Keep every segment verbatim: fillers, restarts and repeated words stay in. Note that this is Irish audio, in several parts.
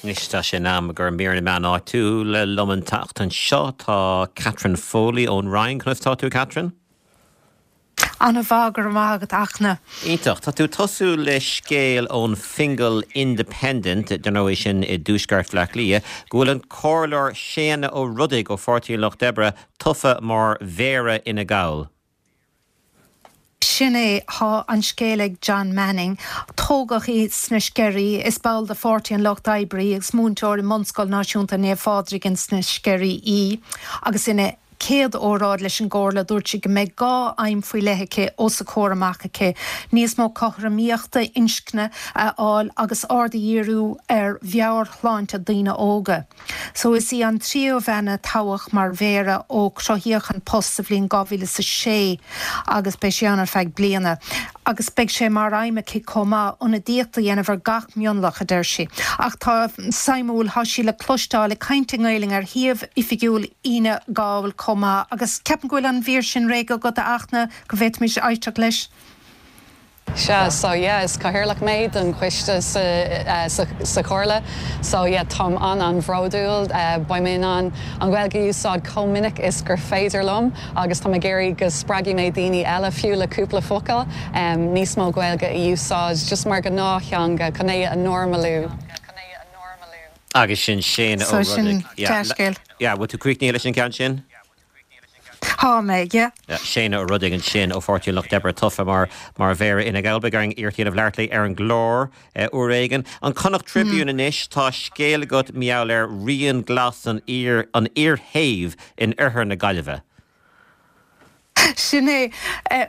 Anois tá sé in am gur mír na meán áitiúil liom an tseachtain seo tá Catherine Foley ón Rinn conas tá tú Catherine? An-mhaith go raibh maith agat Fhachtna. Iontach Tá tú tosú le scéal ón Fingal Independent den é sin i dtuaisceart Bhaile Átha Cliath, go bhfuil an comhairleoir Séanna Ó Rodaigh ó Pháirtí Lucht Oibre tofa mar mhéara Fhine Gall. Sin é tá an scéal ag John Manning, tógadh í sna Sceirí is ball de Pháirtí an Lucht Oibre agus múinteoir i mBunscoil Náisiúnta Naomh Phádraig sna Sceirí í, agus ina céad óráid leis an gcomhairle dúirt sí go mbeidh dhá aidhm faoi leith aici os a comhair amach aici. Níos mó cothromaíochta inscne a fháil agus aird a dhíriú ar mheabhairshláinte daoine óga. So is í an tríú bhean a toghadh mar mhéara ó cruthaíodh an post sa bhliain dhá mhíle is a sé agus beidh sí ann ar feadh bliana. Agus beidh sé mar aidhm aici chomh maith ionadaíocht a dhéanamh ar gach mionlach a deir sí. Ach tá suimiúil tá sí le cloisteáil ag caint i nGaeilge ar shuíomh oifigiúil Fhine Gall chomh maith agus ceapaim go bhfuil an mhír sin réidh agat a Fhachtna go bhféadfaimis éisteacht leis. Sea so yeah, is cathaoirleach mé don choiste sa, uh, sa, sa chomhairle, so yeah, táim an an-bhródúil uh, beidh mé in ann an Ghaeilge a úsáid chomh minic is gur féidir liom agus tá ag iarraidh go spreagfaidh mé daoine eile fiú le cúpla focal um, níos mó Gaeilge a úsáid just mar gnáththeanga chun é a normalú. Agus sin Séanna So sin dea-scéal. Ja, bhfuil tú críochnaithe leis an ceann sin? Tá mé, yeah. Séanna Ó Rodaigh ansin ó Pháirtí Lucht Oibre tofa mar mar mhéara Fhine Gall beidh orainn iarracht a dhéanamh labhairt léi ar an gclár uair éigin. An Connacht Tribune anois tá scéal agat mar gheall ar rian glas an fhear an fhir shéimh in oirthear na Gaillimhe. Sin é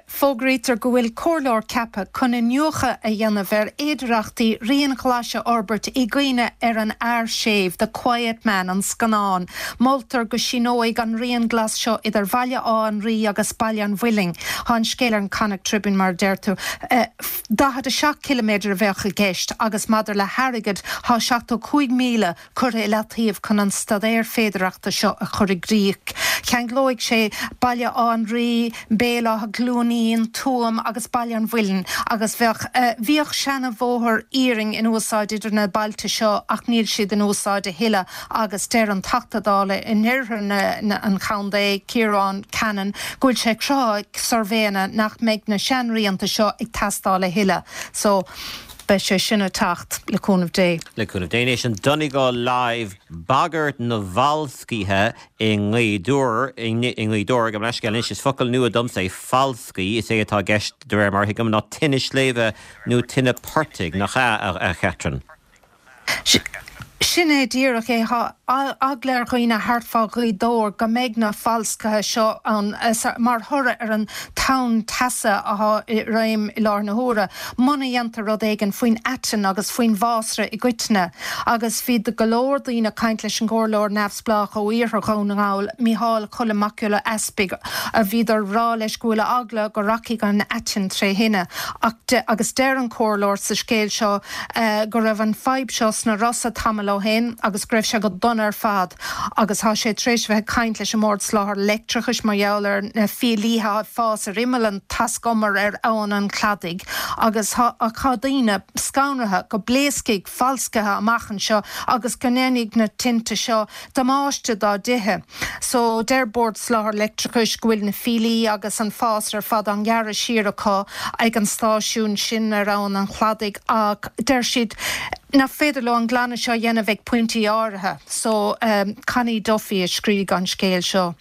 fógraítear go bhfuil comhairleoir ceaptha chun iniúchadh a dhéanamh ar fhéidearthachtaí rian ghlais a fhorbairt i gcuimhne ar an fhear séimh, The Quiet Man an scannán. Moltar go síneoidh an rian glas seo idir Bhaile Átha an Rí agus Baile an Mhuilinn. Tá an scéal ar an Connacht Tribune mar deir tú. Daichead a seacht kilometre a bheadh i gceist agus maidir le hairgead tá seachtó cúig míle curtha i leataobh chun an staidéar féidearthachta seo a chur i gcrích. Cheanglóidh sé Baile Átha an Rí, Béal Átha Glúinín, Tuaim agus Baile an Mhuilinn agus bheadh bhíodh seanbhóthar iarainn in úsáid idir na bailte seo ach níl siad in úsáid a thuilleadh agus deir an Teachta Dála in oirthear an chontae Ciarán Cannon go bhfuil sé cruthaithe suirbhéanna nach mbeidh na seanrianta seo ag teastáil a thuilleadh. So beidh sé sin ag teacht le cúnamh Dé. Le cúnamh Dé anois an Donegal Live bagairt na bhfalscaithe i nGaoth Dobhair i nGaoth Dobhair go leiscéil anois is focal nua domsa é falscaí is é atá i gceist de réir mar a thuigim ná tine sléibhe nó tine portaigh nach ea a Chatherine. Sin é díreach é eagla ar dhaoine thart fá Ghaoth Dobhair go mbeidh na falscaithe seo ann mar thoradh ar an tonn teasa atá i réim i láthair na huaire. Muna ndéantar rud éigin faoin aiteann agus faoin bhfásra i gcoitinne, agus bhí go leor daoine ag caint leis an gcomhairleoir neamhspleách ó iarthar Dhún na nGall, Mícheál Choilm Mac Giolla Easpaig, a bhíodar ag rá leis go bhfuil eagla go rachaidh an aiteann tré thine. Agus deir an comhairleoir sa scéal seo go raibh an fadhb seo sna Rosa tamall ó shin agus go raibh sé go dona ar fad agus tá sé tar éis bheith ag caint leis an mBord Soláthair Leictreachais mar gheall ar na fiailithe ag fás ar imeall an taiscumair ar Abhainn an Chladaigh agus tá daoine scanraithe go bpléascfaidh falscaithe amach anseo agus go ndéanfaidh na tinte seo damáiste dá dtithe. So deir Bord Soláthair Leictreachais go bhfuil na fiailí agus an fásra ar fad á ngearradh siar acu ag an stáisiún sin ar Abhainn an Chladaigh ach deir siad nach féidir leo an glanadh seo a dhéanamh ag pointí áirithe. So um, Connie Duffy a scríobh an scéal seo.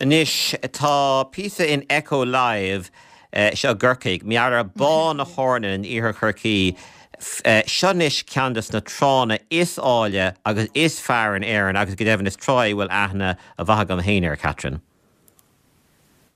Anois tá píosa in Echo Live uh, seo i gCorcaigh, mar gheall ar Bá na hEornan in iarthar Chorcaí, uh, seo anois ceann de na tránna is áille agus is fearr in Éirinn agus go deimhin is trá a bhfuil aithne mhaith agam féin air Catherine.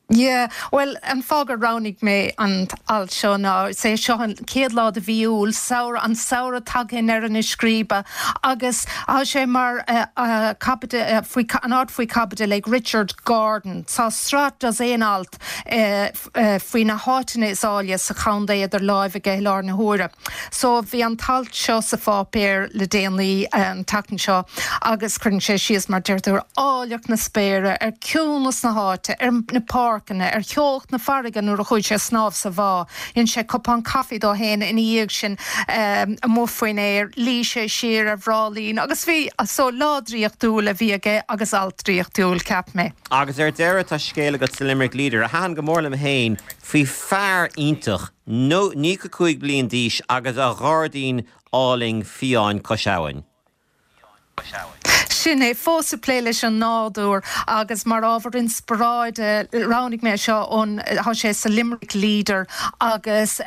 Yeah, well an fáth gur roghnaigh mé an alt seo ná sé seo an céad lá de mhí Iúil samhradh an samhradh tagtha i ndeireadh na scríbe agus tá sé mar uh, uh, uh, faoi an alt faoi chaibidil ag Richard Gordon. Tá sraith dosaen alt uh, uh, faoi na háiteanna is áille sa chontae idir lámha aige i láthair na huaire. So bhí an t-alt seo sa pháipéar le déanaí an tseachtain seo agus cuireann sé síos mar deirtear áilleacht na spéire ar ciúnas na háite ar na páirceanna pháirceanna, ar theocht na farraige nuair a chuaigh sé ag snámh sa bhá. Dhein sé cupán caife dó féin ina dhiaidh sin amuigh faoin aer, luigh sé siar ar bhráillín agus bhí, so lá draíochtúil a bhí aige agus alt draíochtúil, cheap mé. Agus ar deireadh tá scéal agat sa Limerick Leader a thaitin go mór liom féin faoi fear iontach, nócha cúig bliain d'aois agus a ghairdín álainn fiáin cois abhainn. Sin é, fós ag plé leis an nádúr agus mar ábhar inspioráide roghnaigh mé seo ón, tá sé sa Limerick Leader agus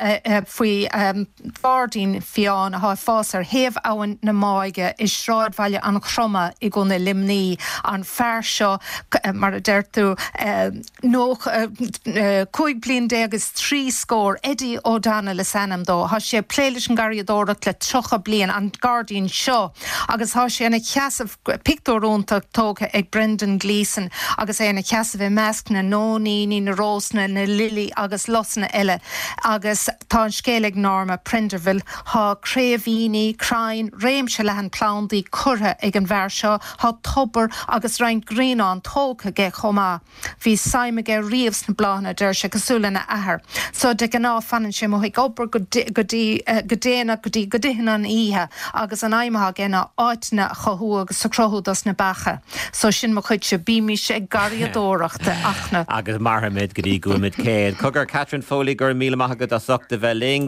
faoi ghairdín fiáin atá ag fás ar thaobh abhainn na Máighe i sráidbhaile an Chroma i gContae Luimnigh. An fear seo, mar a deir tú, nócha, cúig bliain déag is trí scór, Eddie O'Donnell is ainm dó. Tá sé ag plé leis an ngarraíodóireacht le tríocha bliain, an gairdín seo, agus tá sé ina sheasamh, pictiúr iontach tógtha ag Brendan Gleeson agus é ina sheasamh i measc na nóiníní, na rósanna, na lilí agus lusanna eile agus tá an scéal ag Norma Prenderville. Tá craobhaíní, crainn, réimse leathan plandaí curtha ag an bhfear seo, tá tobar agus roinnt grianán tógtha aige chomh maith. Bhí suim aige riamh sna bláthanna, deir sé, cosúil lena athair. So de ghnáth fanann sé amuigh ag obair go go dtí go déanach go dtí go dtitheann an oíche agus an aidhm atá aige ná áiteanna a chothú agus a chruthú dos na beacha. So sin mo chuidse, bímis ag garraíodóireacht a Fhachtna. Agus mairfimid go dtí go bhfuilimid céad. Cogar Catherine Foley go raibh míle maith agat as ucht a bheith linn.